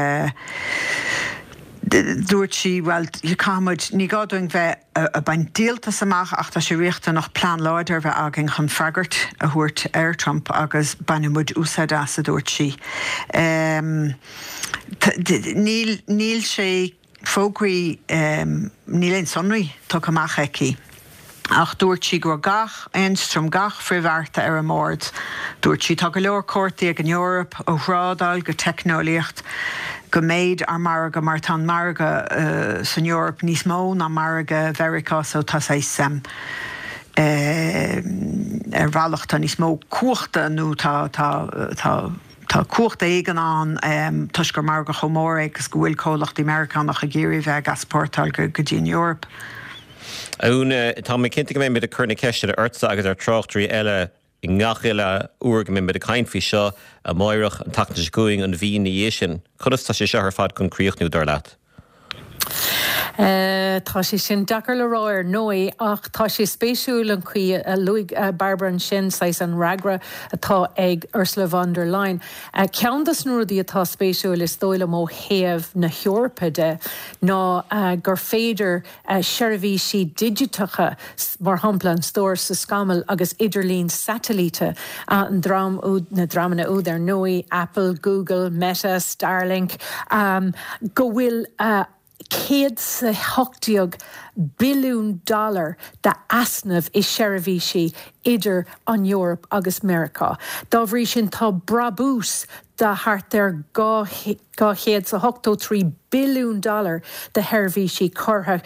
dúirt sí, bhuel, caithfimid, ní gá dúinn bheith ag baint díoltas amach ach tá sé riachtanach plean láidir a bheith againn chun freagairt a thabhairt ar Trump agus bainfidh muid úsáid as, a dúirt sí. Níl, níl sé fógraí, níl aon sonraí tugtha amach aici. Ach dúirt sí go raibh gach ionstraim, gach frithbhearta ar an mbord. Dúirt sí, Tá go leor cártaí ag an Eoraip, ó thrádáil go teicneolaíocht, go méid ár margadh, mar tá an margadh san Eoraip níos mó ná margadh Mheiriceá so tá saghas ar bhealach tá níos mó cumhachta nó tá tá tá tá cumhacht éigin ann toisc gur margadh chomh mór é agus go bhfuil comhlachtaí Meiriceánach ag iarraidh bheith ag easpórtáil go dtí an Eoraip. A Úna, tá mé cinnte go mbeimid ag cur na ceisteanna ortsa agus ar tráchtairí eile i ngach uile uair go mbeimid ag caint faoi seo, amáireach, an tseachtain seo chugainn, an mhí ina dhiaidh sin. Conas tá sé seo ar fad chun críochnú, dar leat? Tá sé sin deacair le rá ar ndóigh ach tá sé spéisiúil an chaoi a luaigh Bairbre ansin, saghas an fhreagra atá ag Ursula von der Leyen. Ceann de na rudaí atá spéisiúil is dóigh liom ó thaobh na hEorpa de ná gur féidir seirbhísí digiteacha, mar shampla an stór sa scamall agus idirlíon satailíte, an dream úd, na dreamanna úd ar ndóigh, Apple, Google, Meta, Starlink, go bhfuil céad 's a hocht déag billiún dollar d'easnamh i seirbhísí idir an Eoraip agus Meiriceá. Dá bhrí sin tá brabús de thart ar dhá chéad 's a hochtó trí billiún dollar de sheirbhísí curtha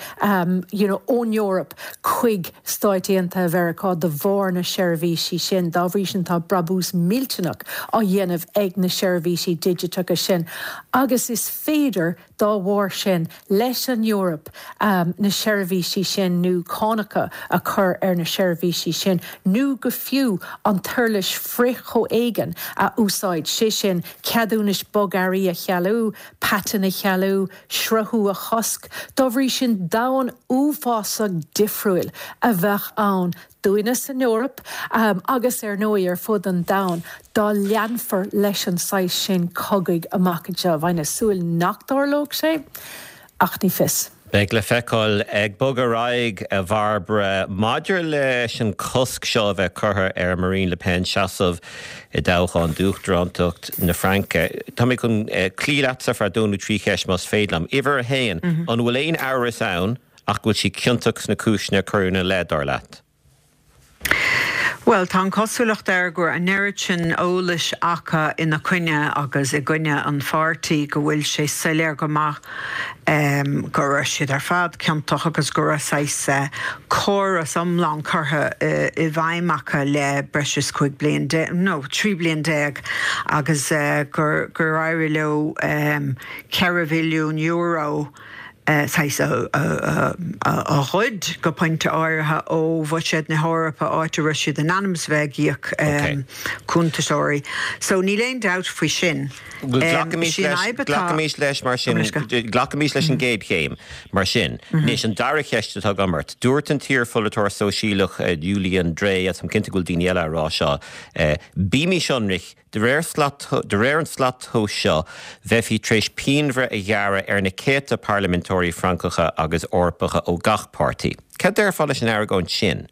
you know ón Eoraip chuig Stáit Aontaithe Mheiriceá de bharr na seirbhísí sin. Dá bhrí sin tá brabús millteanach á dhéanamh ag na seirbhísí digiteacha sin agus is féidir dá bharr sin leis an Eoraip na seirbhísí sin nó cánacha a chur ar na seirbhísí sin nó go fiú an t-uirlis frith-chomhéigin a úsáid, sé sin ceadúnais bogearraí a chealú, paitinn a chealú, sruthú a chosc. Dá bhrí sin domhan uafásach difriúil a bheadh ann dúinne san Eoraip agus ar ndóigh ar fud an domhain dá leanfar leis an saghas sin cogaidh amach anseo. Bheinn ag súil nach dtarlódh sé, ach ní fios. Beidh le feiceáil. Ag bogadh ar aghaidh, a Bhairbre, maidir leis an cosc seo a bheith curtha ar Marine Le Pen seasamh i dtoghchán d'uachtarántacht na Fraince, tá mé chun cloí leatsa ar feadh dó nó trí cheist más féidir liom. Uimhir a haon, an bhfuil aon amhras ann ach go bhfuil sí ciontach sna cúiseanna a cuireadh ina leith, dar leat? Bhuel, tá an chosúlacht air go raibh an oiread sin eolais acu ina coinne agus i gcoinne an pháirtí go bhfuil sé soiléir go maith go raibh siad ar fad ciontach agus go raibh saghas córas iomlán curtha i bhfeidhm acu le breis is cúig bliain nó trí bliain déag agus gur gur éirigh leo ceithre bhilliún euro saghas a ghoid go pointe áirithe ó bhuiséad na hEorpa áit a raibh siad in ainm is bheith ag íoc cuntasóirí. So níl aon dabht faoi sin. Glacaimis leis mar sin, glacaimis leis an gcéad chéim mar sin. Anois an dara ceist atá agam ort. Dúirt an t-iarpholaiteoir sóisialach Julien Dray, agus táim cinnte go bhfuil daoine eile á rá seo, bímis ionraic, De réir de réir an tslat tomhais seo, bheifí tar éis pianbhreith a ghearradh ar na céadta parlaiminteoirí Francacha agus Eorpacha ó gach páirtí. Cad déarfá leis an argóint sin?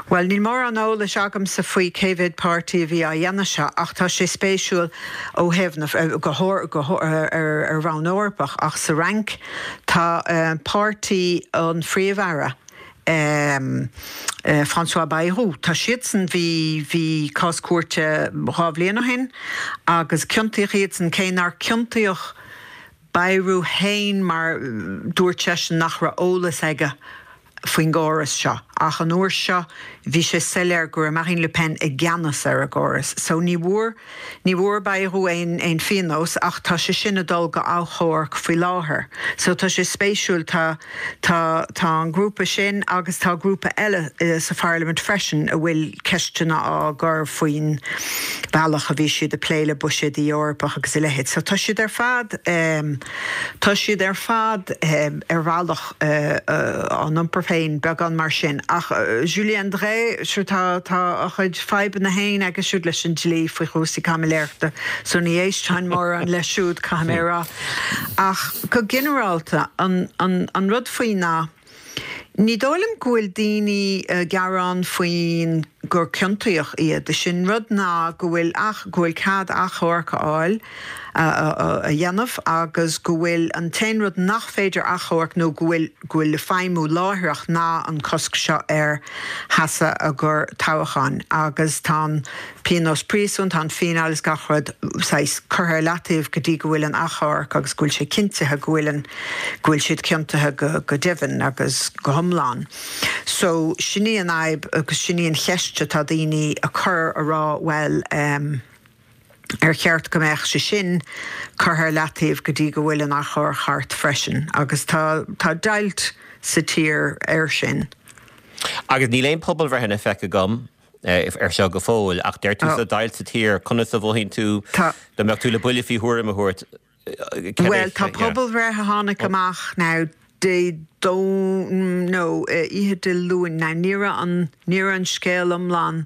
Bhuel, níl mórán eolais agamsa faoi cé mhéad páirtí a bhí á dhéanamh seo, ach tá sé spéisiúil ó thaobh na, go go ar ar bhonn Eorpach, ach sa Fhrainc tá páirtí an Phríomh-Aire, François Bayrou. Tá siadsan, bhí, bhí cás cúirte dhá bhliain ó shin agus ciontaíodh iadsan, cé nár ciontaíodh Bayrou fhéin mar dúirt seisean nach raibh eolas aige faoin gcóras seo. Ach an uair seo bhí sé soiléir go raibh Marine Le Pen i gceannas ar an gcóras. So ní bhfuair, ní bhfuair Bayrou aon, aon phionós ach tá sé sin ag dul go achomharc faoi láthair. So tá sé spéisiúil, tá, tá, tá an grúpa sin agus tá grúpa eile sa pharlaimint freisin a bhfuil ceisteanna á gcur faoin bhealach a bhí siad ag plé le buiséad Eorpach agus a leithéid. So tá siad ar fad, tá siad ar fad ar bhealach á n-iompar féin beagán mar sin. Ach Julien Dray, sure tá tá a chuid fadhbanna féin aige siúd leis an dlí faoi chúrsaí caimiléireachta, so ní éistfinn mórán leis siúd, caithfidh mé a rá. Ach go ginearálta, an an an rud faoi ná, ní dóigh liom go bhfuil daoine ag gearán faoin gur ciontaíodh iad. Is é an rud ná go bhfuil ach go bhfuil cead achomharc a fháil, a dhéanamh agus go bhfuil an t-aon rud nach féidir achomharc nó go bhfuil go bhfuil le feidhmiú láithreach ná an cosc seo ar sheasamh i gcomhair toghcháin agus tá an pionós príosúin, tá an fíneáil is gach rud saghas curtha ar leataobh go dtí go bhfuil an achomharc agus go bhfuil sé cinntithe go bhfuil an go bhfuil siad ciontaithe go go deimhin agus go hiomlán. So sin í an fhadhb agus sin í an cheist atá daoine a chur a rá bhuel um, ar cheart go mbeadh sé sin curtha ar leataobh go dtí go bhfuil an achomharc thart freisin agus tá tá deighilt sa tír air sin. Agus níl aon pobalbhreitheanna feicthe agam ar seo go fóill ach deir tú tá deighilt sa tír, conas a mhothaíonn tú dá mbeadh tú le buille faoi thuairim a thabhairt? Bhuel tá pobalbhreith a tháinig amach now Dé Domhnaigh nó oíche Dé Luain now ní raibh an ní raibh an scéal iomlán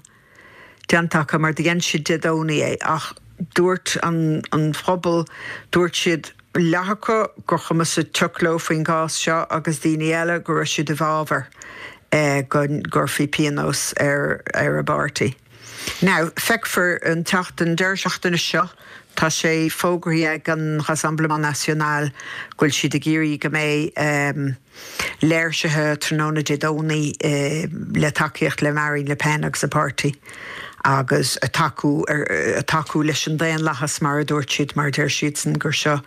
déanta acu mar dhein siad Dé Domhnaigh é ach dúirt an an phobal dúirt siad leath acu gur chuma sa tsioc leo faoin gcás seo agus daoine eile go raibh siad i bhfabhar go gcuirfí pionós ar ar a bpáirtí. Now feicfear an tseachtain deireadh seachtaine seo tá sé fógraithe ag an Rassemblement National go bhfuil siad ag iarraidh go mbeidh léirsithe tráthnóna Dé Domhnaigh le tacaíocht le Marine Le Pen agus a páirtí agus a tacú a tacú leis an daonlathas mar a dúirt siad mar deir siadsan gur seo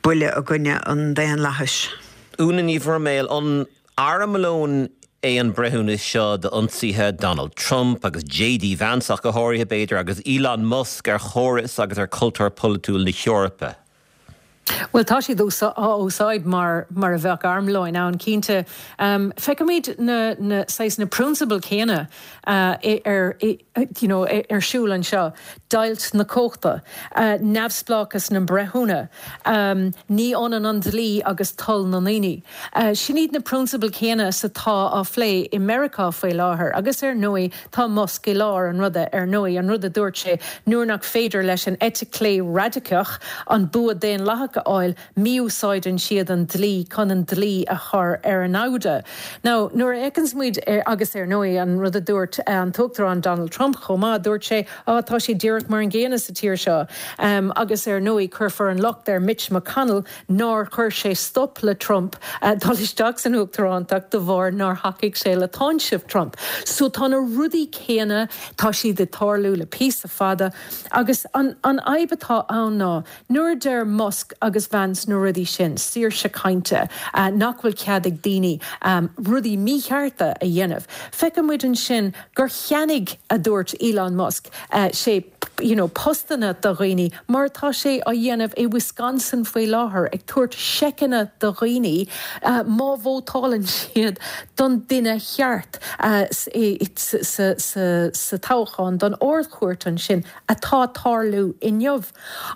buille i gcoinne an daonlathais. Úna Ní Bhroiméil, an armlón é an breithiúnas seo d'ionsaithe Donald Trump agus JD Vance ach go háirithe b'fhéidir agus Elon Musk ar chóras agus ar chultúr polaitiúil na hEorpa? Bhuel tá siad á úsáid mar mar a bheadh armlóin ann cinnte. Um, feicimid na, na, saghas na prionsabail céanna uh, ar, you know, ar siúl anseo. Deighilt na cumhachta, uh, neamhspleáchas na mbreithiúna, um, ní ionann an dlí agus toil na ndaoine. Uh, sin iad na prionsabail céanna is atá á phlé i Meiriceá faoi láthair, agus ar ndóigh tá Musk i lár an ruda ar ndóigh an rud a dúirt sé nuair nach féidir leis an eite chlé radacach an bua daonlathach isteach a fháil, mí-úsáideann siad an dlí chun an dlí a chur ar a namhda. Now, nuair a fheiceanns muid ar, agus ar ndóigh an rud a dúirt an tUachtarán Donald Trump chomh maith, dúirt sé, á tá sé díreach mar an gcéanna sa tír seo. Um, agus ar ndóigh cuirfear an locht ar Mitch McConnell nár chuir sé stop le Trump uh, dul isteach san uachtarántacht de bharr nár thacaigh sé le táinseamh Trump. So tá na rudaí céanna tá siad ag tarlú le píosa fada agus an, an fhadhb atá ann ná nuair a deir Musk agus Vance na rudaí sin, saoirse cainte, uh, nach bhfuil cead ag daoine um, rudaí míchearta a dhéanamh. Feiceann muid ansin gur cheannaigh a dúirt Elon Musk uh, sé you know, postanna do dhaoine, mar tá sé á dhéanamh i Wisconsin faoi láthair ag tabhairt seiceanna do dhaoine uh, má vótálann siad don duine cheart uh, sa, sa, sa toghchán don ardchúirt ansin atá ag tarlú inniu.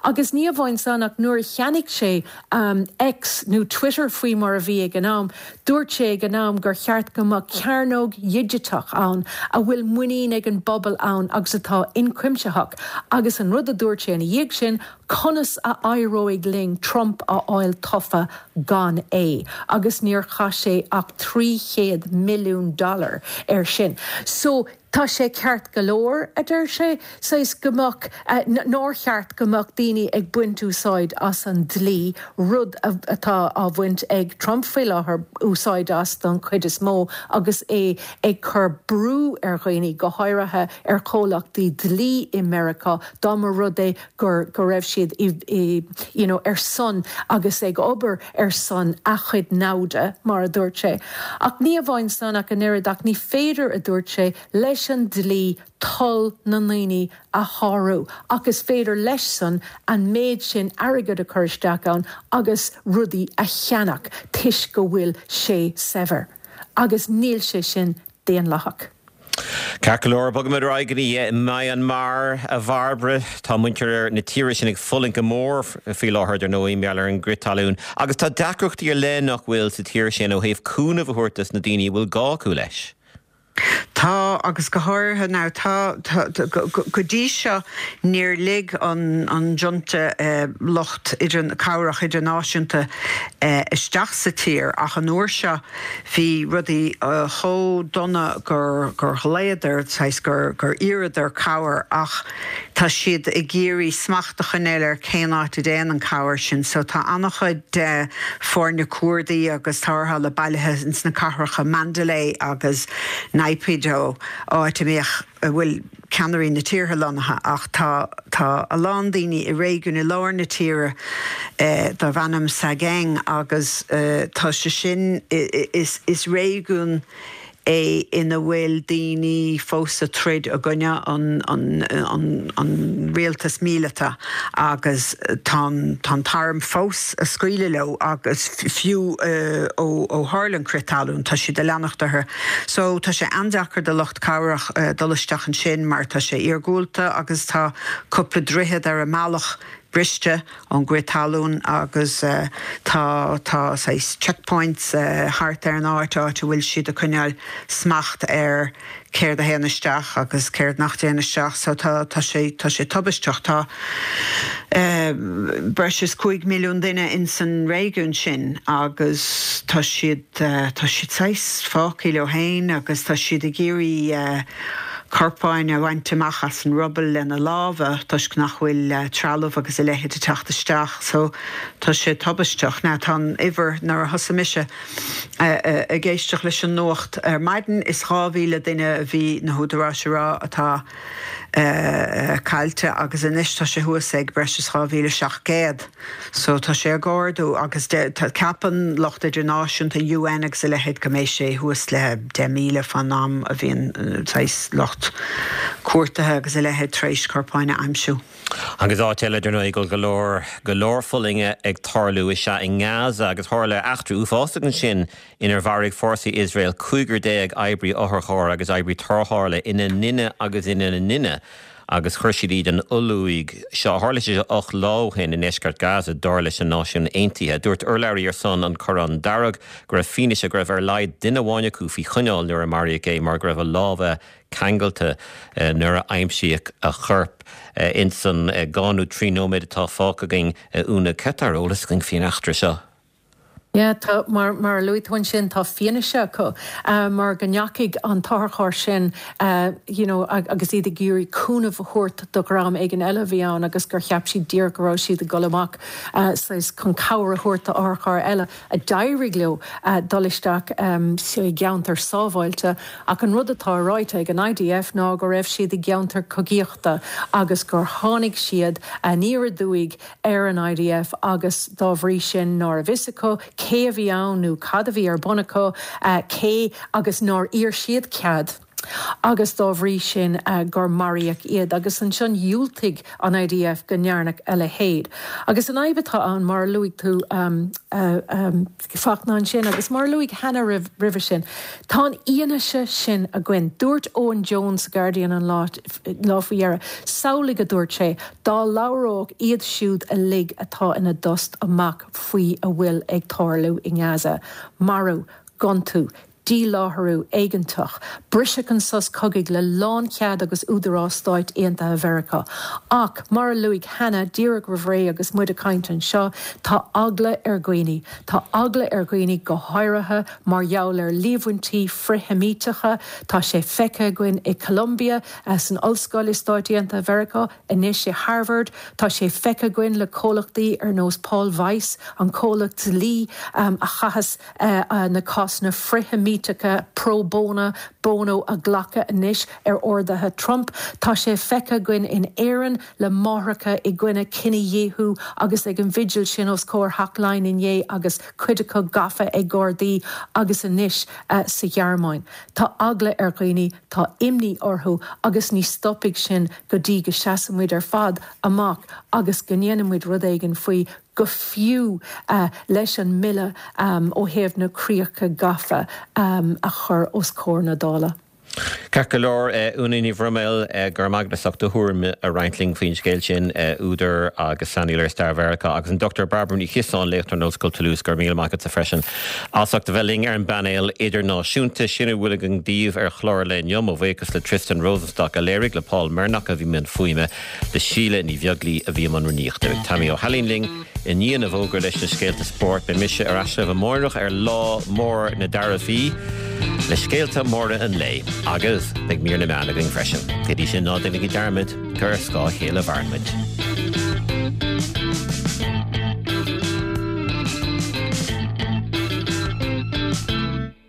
Agus ní amháin san ach nuair a cheannaigh sé um, X nó Twitter faoi mar a bhí ag an am, dúirt sé ag an am gur cheart go mbeadh cearnóg dhigiteach ann a bhfuil muinín ag an bpobal ann agus atá ionchuimsitheach, agus an rud a dúirt sé ina dhiaidh sin conas a éireoidh linn Trump a fháil tofa gan é, agus níor chaith sé ach trí chéad milliún dollar air sin. So tá sé ceart go leor a deir sé saghas go mbeadh nár cheart go mbeadh daoine ag baint úsáid as an dlí rud atá á bhaint ag Trump faoi láthair úsáid as don chuid is mó agus é ag cur brú ar dhaoine go háirithe ar chomhlachtaí dlí i Meiriceá dá mba rud é gur go raibh siad i, i, you know, ar son agus ag obair ar son a chuid namhda mar a dúirt sé. Ach ní amháin san ach an oiread ach ní féidir a dúirt sé leis an dlí toil na ndaoine a shárú, ach is féidir leis san an méid sin airgead a chur isteach ann agus rudaí a cheannach toisc go bhfuil sé saibhir. Agus níl sé sin daonlathach. Ceart go leor bogfaimid ar aghaidh go dtí Myanmar a Bhairbre tá muintir na tíre sin ag fulaingt go mór faoi láthair ar ndóigh mar gheall ar an gcrith talún, agus tá deacrachtaí ar leith nach bhfuil sa tír sin ó thaobh cúnamh a thabhairt dos na daoine bhfuil gá acu leis. Tá agus go háirithe now tá go dtí seo níor lig an an junta eh, lucht idir cabhrach idirnáisiúnta eh, isteach sa tír ach an uair seo bhí rudaí uh, chomh dona gur gur ghlaodar gur gur iarradar cabhair ach tá siad ag iarraidh smacht a choinneáil ar cén áit a dtéann an cabhair sin, so tá an-chuid de foirne cuardaigh agus tarrthála bailithe ins na cathracha Mandalay agus Naypyidaw áit a mbíodh a bhfuil ceannairí na tíre lonnaithe ach tá tá a lán daoine i réigiún i lár na tíre eh, darb ainm Sagaing agus eh, tá sé sin is, is réigiún é ina bhfuil daoine fós ag troid i gcoinne an, an, an, an rialtas míleata agus tá an t-arm fós ag scaoileadh leo agus fiú uh, ó, ó tharla an crith talún tá siad ag leanacht orthu. So tá sé an-deacair do lucht cabhrach uh, dul isteach ansin mar tá sé iargúlta agus tá cúpla droichead ar an mbealach briste ón gcrith talún agus uh, tá tá checkpoints uh, thart ar an áit áit a bhfuil siad ag coinneáil smacht ar céard a théann isteach agus céard nach dtéann isteach so tá tá sé tá sé tubaisteach tá uh, breis is cúig milliún duine in san réigiún sin agus tá siad uh, tá siad saghas fágtha leo féin agus tá siad ag iarraidh uh, corpáin a bhaint amach as an ruball lena lámha toisc nach bhfuil uh, trealamh agus a leithéid ag teacht isteach, so tá sé tubaisteach now tá an uimhir nuair a thosaigh mise uh, uh, ag éisteacht leis an nuacht ar maidin is dhá mhíle duine a bhí na húdaráis ag rá atá uh, caillte agus anois tá sé thuas ag breis is dhá mhíle seacht gcéad. So tá sé ag ardú agus ceapann lucht idirnáisiúnta UN agus a leithéid go mbeidh sé thuas le deich míle fán am a bhíonn lucht cuardaithe agus a leithéid tar éis corpáin a aimsiú. Agus áit eile dar ndóigh go leor go leor fulainge ag tarlú is ea i nGaza agus tharla eachtra uafásach ansin inar mharaigh fórsaí Iosrael cúigear déag oibrí otharchairr agus oibrí tarrthála ina nduine agus ina nduine. agus chuir siad iad in olluaigh seo. Tharla sé ocht lá ó shin i ndeisceart Gaza dar leis na Náisiúin Aontaithe. Dúirt urlabhraí ar son an Chorrán Dearg go raibh fianaise go raibh ar laghad duine amháin acu faoi choinneáil nuair a maraíodh é mar go raibh a lámha ceangailte nuair a aimsíodh a chorp. Insan dhá nó trí nóiméad atá fágtha againn, a Úna, cad tá ar eolas againn faoin eachtra seo? Yeah, tá, mar, mar a luaigh tú ansin, tá fianaise acu mar go ndeachaigh an t-otharcharr sin you know, agus iad ag iarraidh cúnamh a thabhairt do dhream éigin eile a bhí ann agus gur cheap siad díreach go raibh siad ag dul amach saghas chun cabhair a thabhairt do otharcharr eile a d'éirigh leo dul isteach i gceantar sábháilte. Ach an rud atá ráite ag an I D F ná go raibh siad i gceantar cogaíochta agus gur tháinig siad aniar aduaidh ar an I D F agus dá bhrí sin ná raibh fhios acu cé a bhí ann nó cad a bhí ar bun acu, cé agus nár iarr siad cead agus dá bhrí sin gur maraíodh iad agus ansin dhiúltaigh an I D F go ndearnadh a leithéid. Agus an fhadhb atá ann mar a luaigh tú Fachtna ansin agus mar a luaigh Hannah roimhe sin, tá an fhianaise sin againn. Dúirt Owen Jones sa Guardian an lá lá faoi dheireadh, samhlaigh a dúirt sé, dá labhródh iad siúd uilig atá ina dtost amach faoi a bhfuil ag tarlú i nGaza, marú, gontú, díláithriú éigeantach, briseadh an sos cogaidh le lánchead agus údarás Stáit Aontaithe Mheiriceá. Ach mar a luaigh Hannah díreach roimh ré agus muid ag caint anseo, tá eagla ar dhaoine. Tá eagla ar dhaoine go háirithe mar gheall ar líomhaintí frith-Sheimíteacha. Tá sé feicthe againn i Columbia san ollscoil i Stáit Aontaithe Mheiriceá, anois i Harvard. Tá sé feicthe againn le comhlachtaí ar nós Paul Weiss, an comhlacht dlí a chaitheas na cásanna frith-Sheimíteacha pro bono bono a ghlacadh anois ar orduithe Trump. Tá sé feicthe againn in Éirinn le máithreacha i gcoinne cinedhíothú agus ag an bhigil sin os comhair Theach Laighean inné agus cuid acu gafa ag Gardaí agus anois sa Ghearmáin. Tá eagla ar dhaoine, tá imní orthu agus ní stopfaidh sin go dtí go seasann muid ar fad amach agus go ndéanann muid rud éigin faoi go fiú leis an mbille ó thaobh na críocha gafa a chur os comhair na Dála. Ceart go leor, Úna Ní Bhroiméil, go raibh maith agat as ucht do thuairim a roinnt linn faoin scéal sin, údar agus saineolaí ar stair Mheiriceá, agus an Dochtúir Bairbre Ní Chiosáin, léachtóir in Ollscoil Toulouse, go raibh míle maith agatsa freisin as ucht a bheith linn ar an bpainéal idirnáisiúnta. Sin a bhfuil againn daoibh ar chlár an lae inniu. Mo bhuíochas le Tristan Rosenstock a léirigh, le Paul Mernock a bhí i mbun fuaime, le Síle Ní Bheaglaoí a bhí i mbun rúnaíochta. Beidh Tammy Ó hAilín linn i ndiaidh na bhfógra leis na scéalta spóirt. Beidh mise ar ais libh amárach ar lá mór na dtaraifí le scéalta móra an lae agus beidh mír na meán againn freisin. Go dtí sin ná déanaigí dearmad gur ar scáth a chéile a mhaireann muid.